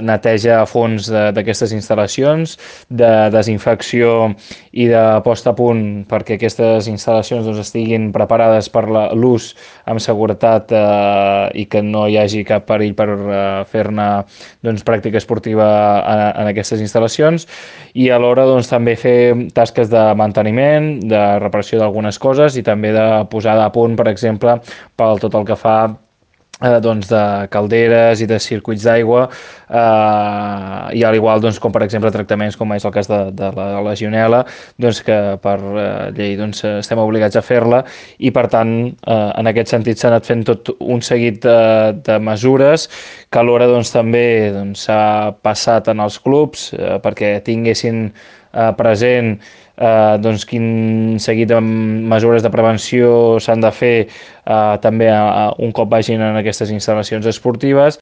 neteja a fons d'aquestes instal·lacions, de desinfecció i de posta a punt perquè aquestes instal·lacions doncs, estiguin preparades per l'ús amb seguretat i que no hi hagi cap perill per fer-ne doncs, pràctica esportiva en aquestes instal·lacions i alhora doncs, també fer tasques de manteniment, de reparació d'algunes coses i també de posada a punt, per exemple, pel tot el que fa doncs de calderes i de circuits d'aigua i al igual doncs, com per exemple tractaments com és el cas de la legionel·la doncs, que per llei doncs, estem obligats a fer-la i per tant en aquest sentit s'ha anat fent tot un seguit de mesures que alhora doncs, també s'ha passat en els clubs perquè tinguessin present doncs quin seguit de mesures de prevenció s'han de fer també un cop vagin en aquestes instal·lacions esportives